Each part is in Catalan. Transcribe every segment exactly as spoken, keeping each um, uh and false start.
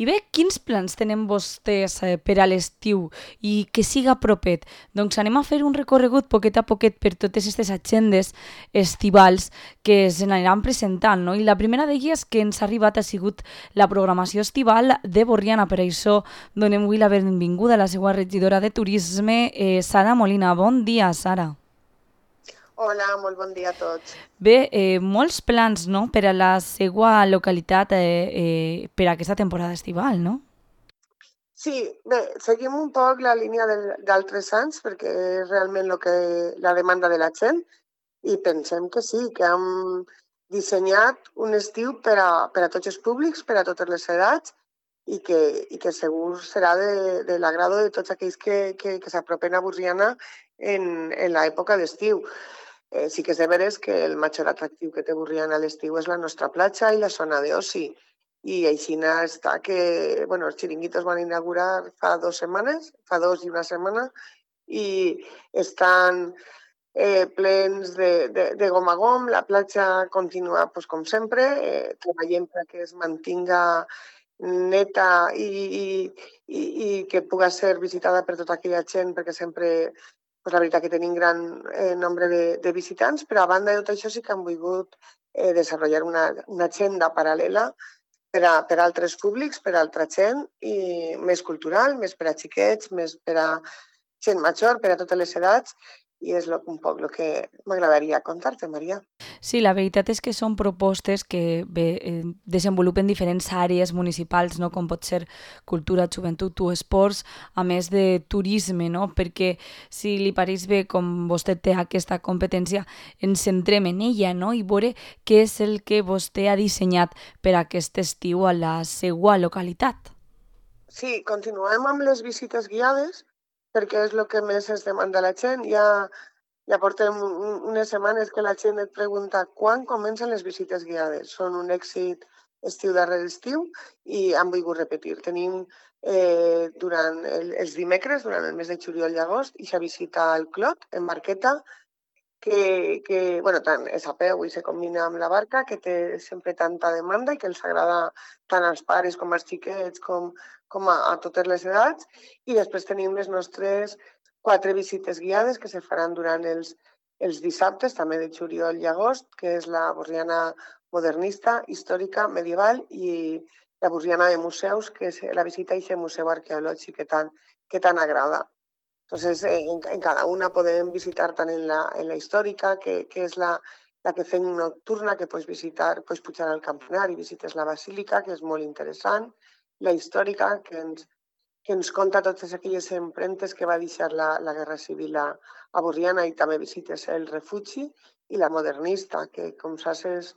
I bé, quins plans tenen vostès eh, per a l'estiu i que siga propet? Doncs anem a fer un recorregut poquet a poquet per totes aquestes agendes estivals que s'aniran presentant, no? I la primera d'elles que ens ha arribat ha sigut la programació estival de Borriana. Per això donem avui la benvinguda a la seva regidora de Turisme, eh, Sara Molina. Bon dia, Sara. Hola, molt bon dia a tots. Bé, eh, molts plans, no?, per a la seva localitat eh, eh, per a aquesta temporada estival, no? Sí, bé, seguim un poc la línia del- d'altres anys perquè és realment lo que, la demanda de la gent i pensem que sí, que hem dissenyat un estiu per a, per a tots els públics, per a totes les edats i que, i que segur serà de, de l'agrado de tots aquells que, que, que s'apropen a Borriana en, en l'època d'estiu. Eh, sí que és de veres que el major atractiu que té Borriana a l'estiu és la nostra platja i la zona d'oci. I així està que, bueno, els xiringuitos van inaugurar fa dues setmanes, fa dos i una setmana, i estan eh, plens de, de, de gom a gom. La platja continua, pues, com sempre, eh, treballem perquè es mantinga neta i, i, i, i que puga ser visitada per tota aquella gent, perquè sempre, pues, la veritat que tenim gran eh, nombre de, de visitants, però a banda de tot això sí que han volgut eh, desenvolupar una, una agenda paral·lela per a, per a altres públics, per a altra gent, i més cultural, més per a xiquets, més per a gent major, per a totes les edats, i és lo, un poc el que m'agradaria contar-te, Maria. Sí, la veritat és que són propostes que bé, eh, desenvolupen diferents àrees municipals, no?, com pot ser cultura, joventut o esports, a més de turisme, no?, perquè si li pareix bé, com vostè té aquesta competència, ens centrem en ella, no?, i veure què és el que vostè ha dissenyat per a aquest estiu a la seva localitat. Sí, continuem amb les visites guiades, perquè és el que més es demanda a la gent. Ja, ja portem un- unes setmanes que la gent et pregunta quan comencen les visites guiades. Són un èxit estiu darrere estiu i han volgut repetir. Tenim eh, durant el, els dimecres, durant el mes de juliol i agost, i visita al Clot, en barqueta, que, que bueno, tant és a peu i se combina amb la barca, que té sempre tanta demanda i que els agrada tant als pares com als xiquets com, com a, a totes les edats. I després tenim les nostres quatre visites guiades que se faran durant els, els dissabtes, també de juliol i agost, que és la Borriana modernista, històrica, medieval, i la Borriana de museus, que és la visita a aquest museu arqueològic que tant, que tant agrada. Entonces, eh, en, en, cada una podem visitar tant en la, en la històrica, que, que és la, la que fem nocturna, que pots visitar, pots pujar al campanar i visites la basílica, que és molt interessant, la històrica, que ens, que ens conta totes aquelles empremtes que va deixar la, la Guerra Civil a, a Borriana, i també visites el refugi, i la modernista, que, com saps, és,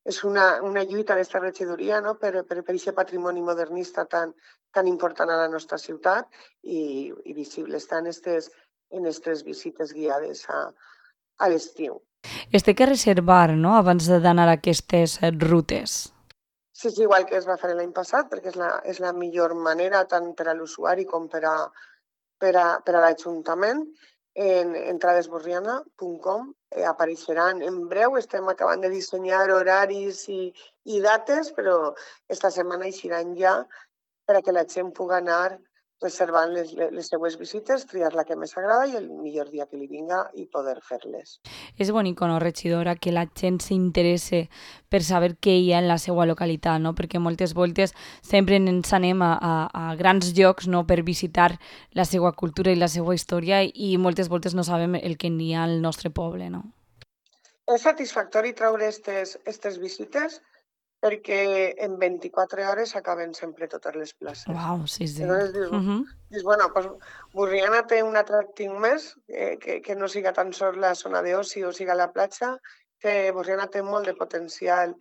és una, una lluita d'esta regidoria, no?, per, per, per aquest patrimoni modernista tan, tan important a la nostra ciutat, i, i visible està en aquestes en estes visites guiades a, a l'estiu. Es té que reservar, no?, abans d'anar a aquestes eh, rutes. Sí, és igual que es va fer l'any passat, perquè és la, és la millor manera tant per a l'usuari com per a, per a, per a l'Ajuntament. En entradesborriana punt com eh, apareixeran en breu. Estem acabant de dissenyar horaris i, i dates, però esta setmana eixiran ja per a que la gent pugui anar reservant les, les seues visites, triar la que més agrada i el millor dia que li vinga i poder fer-les. És bonic, no, regidora, que la gent s'interesse per saber què hi ha en la seva localitat, no? Perquè moltes voltes sempre ens anem a, a, a grans llocs, no?, per visitar la seva cultura i la seva història, i moltes voltes no sabem el que n'hi ha al nostre poble, no? És satisfactori treure aquestes visites perquè en vint-i-quatre hores s'acaben sempre totes les places. Uau, sí, sí. Llavors dius, Uh -huh. dius bueno, pues, Borriana té un atractiu més, eh, que, que no siga tan sols la zona d'oci o siga la platja, que Borriana té molt de potencial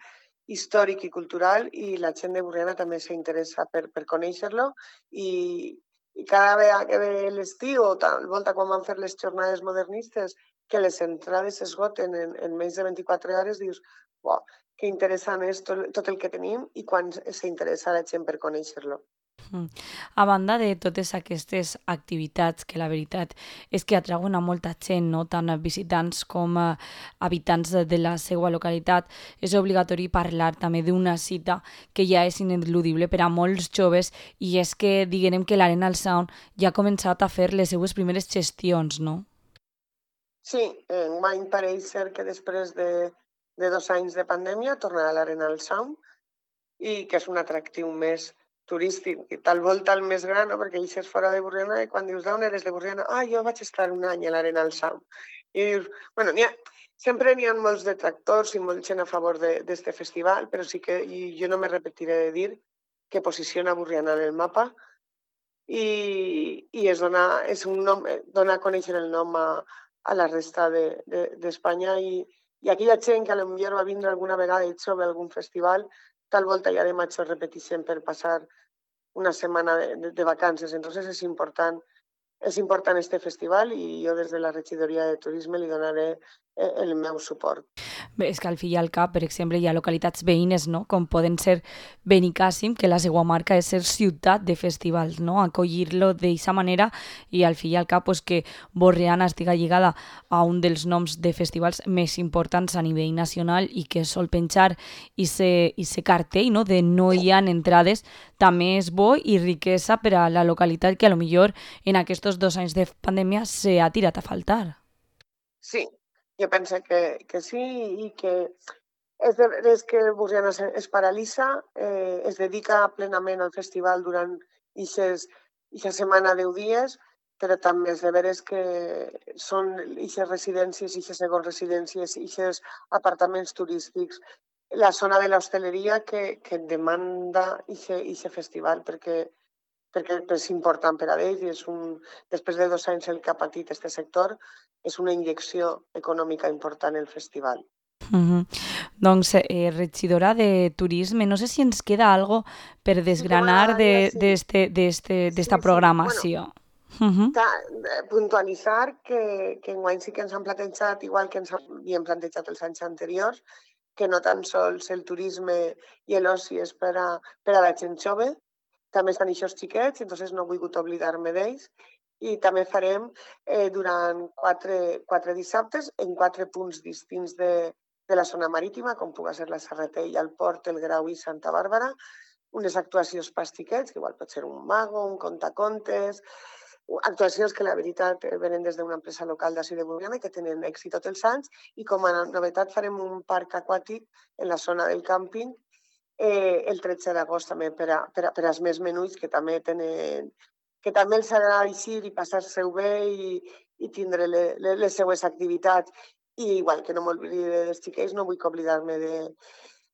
històric i cultural, i la gent de Borriana també s'interessa per, per conèixer-lo, i, i cada vegada que ve l'estiu o tal volta quan van fer les jornades modernistes, que les entrades s'esgoten en, en menys de vint-i-quatre hores, dius, uau, que interessant és tot, tot el que tenim i quan s'interessa la gent per conèixer-lo. Mm. A banda de totes aquestes activitats, que la veritat és que atrauen a molta gent, no? Tant a visitants com a habitants de, de la seva localitat, és obligatori parlar també d'una cita que ja és ineludible per a molts joves i és que diguem que l'Arenal Sound ja ha començat a fer les seues primeres gestions, no? Sí, enguany pareix ser que després de, de dos anys de pandèmia tornarà l'Arenal Sound i que és un atractiu més turístic i tal volta el més gran, no? Perquè eixes fora de Borriana i quan dius d'on eres de Borriana, ah, jo vaig estar un any a l'Arenal Sound. I dius, bueno, n'hi ha, sempre n'hi ha molts detractors i molt gent a favor d'aquest festival, però sí que i jo no me repetiré de dir que posiciona Borriana en el mapa i, i es dona, és un nom, dona a conèixer el nom a, a la resta d'Espanya de, de, i, i aquella gent que potser va vindre alguna vegada i sobre algun festival, tal volta ja de maig ho repeteixen per passar una setmana de, de, de vacances. Entonces és important, és important este festival i jo des de la regidoria de turisme li donaré el meu suport. Bé, és que al fi i al cap, per exemple, hi ha localitats veïnes, no? Com poden ser Benicàssim, que la seva marca és ser ciutat de festivals, no? Acollir-lo d'aquesta manera i al fi i al cap pues, que Borriana estiga lligada a un dels noms de festivals més importants a nivell nacional i que sol penjar i se cartell, no? De no hi ha entrades, també és bo i riquesa per a la localitat que a lo millor en aquests dos anys de pandèmia s'ha tirat a faltar. Sí, jo penso que, que sí i que és, de, és que Borriana es, es paralitza, eh, es dedica plenament al festival durant aquesta setmana de deu dies, però també és de veres que són aquestes residències, aquestes segons residències, aquests apartaments turístics, la zona de l'hostaleria que, que demanda aquest festival perquè perquè és important per a ells i és un, després de dos anys el que ha patit aquest sector, és una injecció econòmica important el festival. Uh-huh. Doncs, eh, regidora de turisme, no sé si ens queda algo per desgranar d'esta de, sí. sí, sí, programació. Sí. Bueno, uh-huh. Puntualitzar que, que enguany sí que ens han plantejat, igual que ens havíem plantejat els anys anteriors, que no tan sols el turisme i l'oci és per a, per a la gent jove, també estan aquests xiquets, entonces no he volgut oblidar-me d'ells. I també farem eh, durant quatre, quatre dissabtes en quatre punts distints de, de la zona marítima, com pugui ser la Serratella, el Port, el Grau i Santa Bàrbara, unes actuacions per xiquets, que igual pot ser un mago, un contacontes, actuacions que la veritat venen des d'una empresa local d'ací de Borriana i que tenen èxit tots els anys, i com a novetat farem un parc aquàtic en la zona del càmping Eh, el tretze d'agost també per, a, per, a, per als més menuts que també tenen que també els agrada eixir i passar-se-ho bé i, i tindre le, le, les seues activitats. I igual que no m'oblidi dels xiquets, no vull oblidar-me de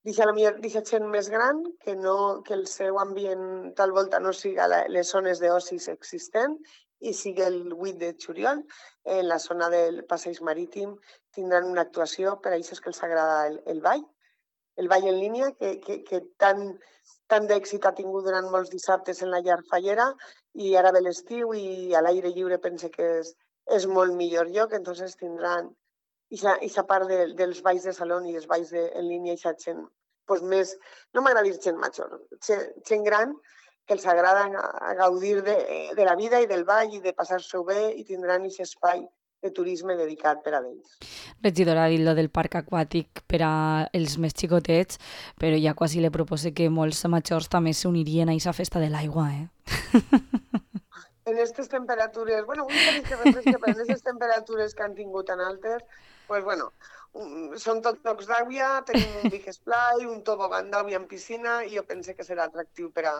d'aquesta gent més gran, que, no, que el seu ambient tal volta no siga la, les zones d'ocis existents i sigui el vuit de juliol, en la zona del passeig marítim tindran una actuació per a aquests que els agrada el, el ball, el ball en línia, que, que, que tan, tant d'èxit ha tingut durant molts dissabtes en la llar fallera i ara ve l'estiu i a l'aire lliure pense que és, és molt millor lloc, entonces tindran aquesta part de, dels balls de saló i els balls de, en línia i aquesta gent pues més, no m'agrada dir gent major, gent, gent gran que els agrada a gaudir de, de la vida i del ball i de passar-s'ho bé i tindran aquest espai de turisme dedicat per a ells. Regidora, ha dit lo del parc aquàtic per a els més xicotets, però ja quasi li propose que molts majors també s'unirien a aquesta festa de l'aigua, eh? En aquestes temperatures, bueno, un parell que refresca, però en aquestes temperatures que han tingut tan altes, pues bueno, són tots llocs d'aigua, tenim un big splash, un tobogan d'aigua en piscina i jo pense que serà atractiu per a,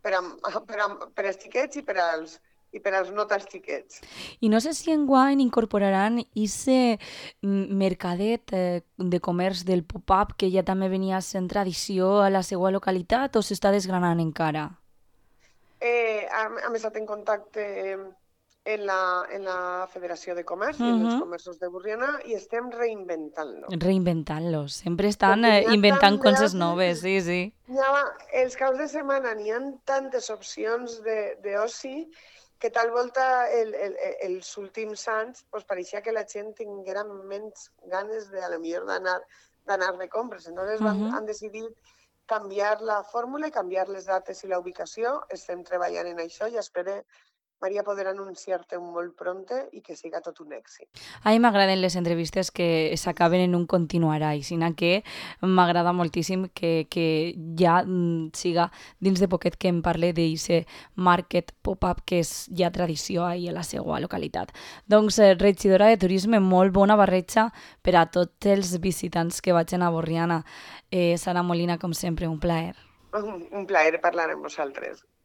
per a, per a, per als xiquets i per als i per als no tan xiquets. I no sé si enguany incorporaran aquest mercadet eh, de comerç del pop-up que ja també venia sent tradició a la seva localitat o s'està desgranant encara? Eh, hem estat en contacte en la, en la Federació de Comerç uh-huh. i en els comerços de Borriana i estem reinventant-lo. Reinventant-lo. Sempre estan eh, inventant coses noves, sí, sí. Ha, els caps de setmana n'hi ha tantes opcions d'oci que tal volta el, el, els últims anys pues, pareixia que la gent tinguera menys ganes de, a lo millor d'anar d'anar de compres. Entonces uh-huh. van, han decidit canviar la fórmula i canviar les dates i la ubicació. Estem treballant en això i espero, Maria, poder anunciar-te molt pronte i que siga tot un èxit. A mi m'agraden les entrevistes que s'acaben en un continuarà, i sinó que m'agrada moltíssim que, que ja mm, siga dins de poquet que em parle d'aquest market pop-up que és ja tradició ahí a la seva localitat. Doncs, eh, regidora de turisme, molt bona barreja per a tots els visitants que vagin a Borriana. Eh, Sara Molina, com sempre, un plaer. Un plaer parlar amb vosaltres.